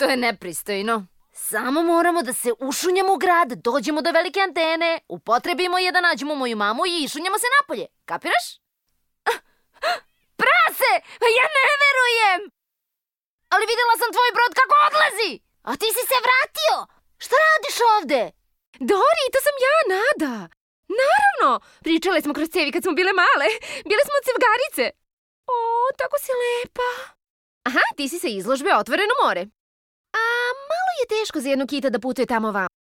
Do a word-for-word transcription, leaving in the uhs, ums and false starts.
To je nepristojno. Samo moramo da se ušunjamo u grad, dođemo do velike antene, upotrebimo je da nađemo moju mamu i išunjamo se napolje. Kapiraš? Prase! Ja ne verujem! Ali videla sam tvoj brod kako odlazi! A ti si se vratio! Šta radiš ovde? Dori, to sam ja, Nada. Naravno! Pričale smo kroz cevi kad smo bile male. Bile smo cevgarice. O, tako si lepa. Aha, ti si sa izložbe Otvoreno more. A malo je teško za jednu kita da putuje tamo vam.